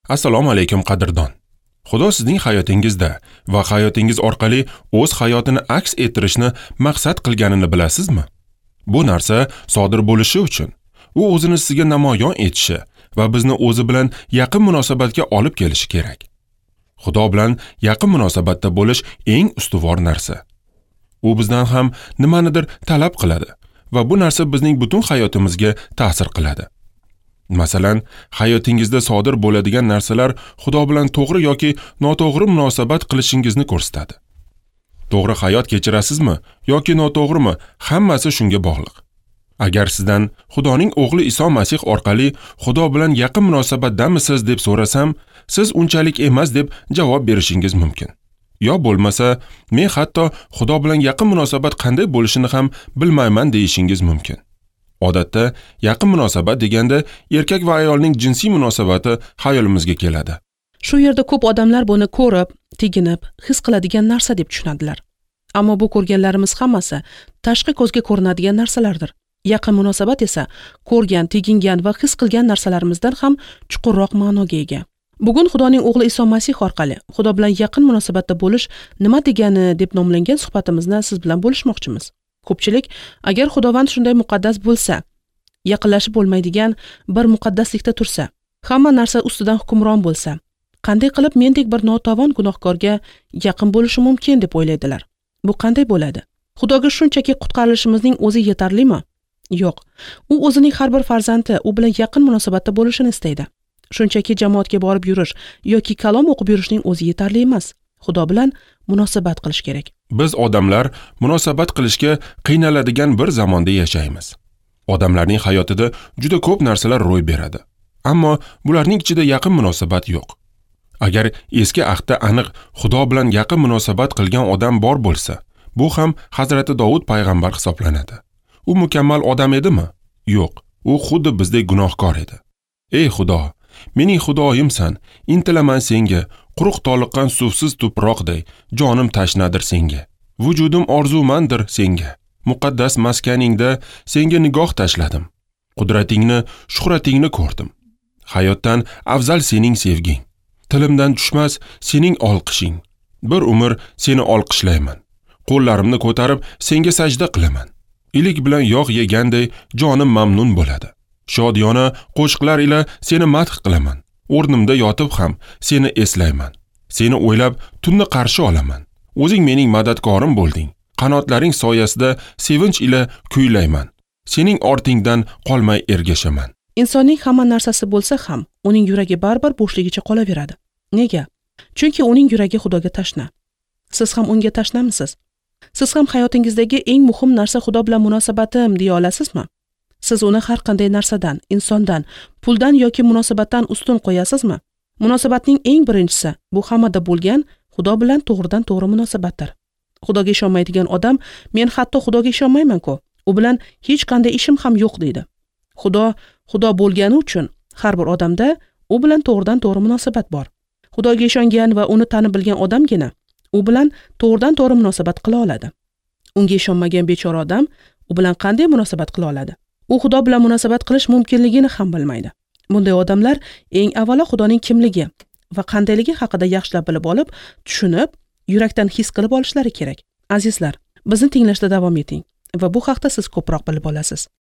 Assalomu alaykum qadrdon. Xudo sizning hayotingizda va hayotingiz orqali o'z hayotini aks ettirishni maqsad qilganini bilasizmi? Bu narsa sodir bo'lishi uchun u o'zini sizga namoyon etishi va bizni o'zi bilan yaqin munosabatga olib kelishi kerak. Xudo bilan yaqin munosabatda bo'lish eng ustuvor narsa. U bizdan ham nimanidir talab qiladi va bu narsa bizning butun hayotimizga ta'sir qiladi. Masalan, hayotingizda sodir bo'ladigan narsalar Xudo bilan to'g'ri yoki noto'g'ri munosabat qilishingizni ko'rsatadi. To'g'ri hayot kechirasizmi yoki noto'g'rimi, hammasi shunga bog'liq. Agar sizdan Xudoning o'g'li Iso Masih orqali Xudo bilan yaqin munosabatdamisiz deb so'rasam, siz unchalik emas deb javob berishingiz mumkin. Yo bo'lmasa, men hatto Xudo bilan yaqin munosabat qanday bo'lishini ham bilmayman deyishingiz mumkin. Odatda yaqin munosabat deganda erkak va ayolning jinsiy munosabati xayolimizga keladi. Shu yerda ko'p odamlar buni ko'rib, teginib, his qiladigan narsa deb tushunadilar. Ammo bu ko'rganlarimiz hammasi tashqi ko'zga ko'rinadigan narsalardir. Yaqin munosabat esa ko'rgan, tegingan va his qilgan narsalarimizdan ham chuqurroq ma'noga ega. Bugun Xudoning o'g'li Iso Masih orqali Xudo bilan yaqin munosabatda bo'lish nima degani deb nomlangan suhbatimizni siz bilan bo'lishmoqchimiz. Ko'pchilik agar Xudovand shunday muqaddas bo'lsa, yaqinlashib bo'lmaydigan bir muqaddaslikda tursa, hamma narsa ustidan hukmron bo'lsa, qanday qilib mendek bir notavon gunohkorga yaqin bo'lishi mumkin deb o'ylaydilar. Bu qanday bo'ladi? Xudoga shunchaki qutqarilishimizning o'zi yetarlimi? Yo'q. U o'zining har bir farzandi u bilan yaqin munosabatda bo'lishini istaydi. Shunchaki jamoatga borib yurish yoki kalom o'qib yurishning o'zi yetarli emas. Xudo bilan munosabat qilish kerak. Biz odamlar munosabat qilishga qiynaladigan bir zamonda yashaymiz. Odamlarning hayotida juda ko'p narsalar ro'y beradi. Ammo bularning ichida yaqin munosabat yo'q. Agar eski ahdda aniq Xudo bilan yaqin munosabat qilgan odam bor bo'lsa, bu ham Hazrati Dovud payg'ambar hisoblanadi. U mukammal odam edimi? Yo'q, u xuddi bizdek gunohkor edi. Ey Xudo, mening Xudoyimsan, intilaman senga, quruq toliqqan suvsiz tuproqday, jonim tashnadir senga. Vujudim orzumandir senga. Muqaddas maskaningda senga nigoh tashladim. Qudratingni, shuhratingni ko'rdim. Hayotdan afzal sening sevging. Tilimdan tushmas sening olqishing. Bir umr seni olqishlayman. Qo'llarimni ko'tarib senga sajda qilaman. Ilik bilan yog' yeganday jonim mamnun bo'ladi. Shodiyona qo'shiqlar ila seni madh qilaman. O'rnimda yotib ham seni eslayman. Seni o'ylab tunni qarshi olaman. O'zing mening madadkorim bo'lding. Qanotlaring soyasida sevinch ila kuylayman. Sening ortingdan qolmay ergashaman. Insonning hamma narsasi bo'lsa ham, uning yuragi baribir bo'shligicha qolaveradi. Nega? Chunki uning yuragi Xudoga tashna. Siz ham unga tashnamisiz? Siz ham hayotingizdagi eng muhim narsa Xudo bilan munosabatim deya olasizmi? Siz uni har qanday narsadan, insondan, puldan yoki munosabatdan ustun qo'yasizmi? Munosabatning eng birinchisi bu hammada bo'lgan Xudo bilan to'g'ridan to'g'ri munosabatdir. Xudoga ishonmaydigan odam men hatto Xudoga ishonmayman-ku, u bilan hech qanday ishim ham yo'q deydi. Xudo Xudo bo'lgani uchun har bir odamda u bilan to'g'ridan to'g'ri munosabat bor. Xudoga ishongan va uni tanib bilgan odamgina u bilan to'g'ridan to'g'ri munosabat qila oladi. Unga ishonmagan bechora odam u bilan qanday munosabat qila oladi? U Xudo bilan munosabat qilish mumkinligini ham bilmaydi. Bunday odamlar eng avvalo Xudoning kimligi va qandayligi haqida yaxshilab bilib olib, tushunib, yurakdan his qilib olishlari kerak. Azizlar, bizni tinglashda davom eting va bu haqda siz ko'proq bilib olasiz.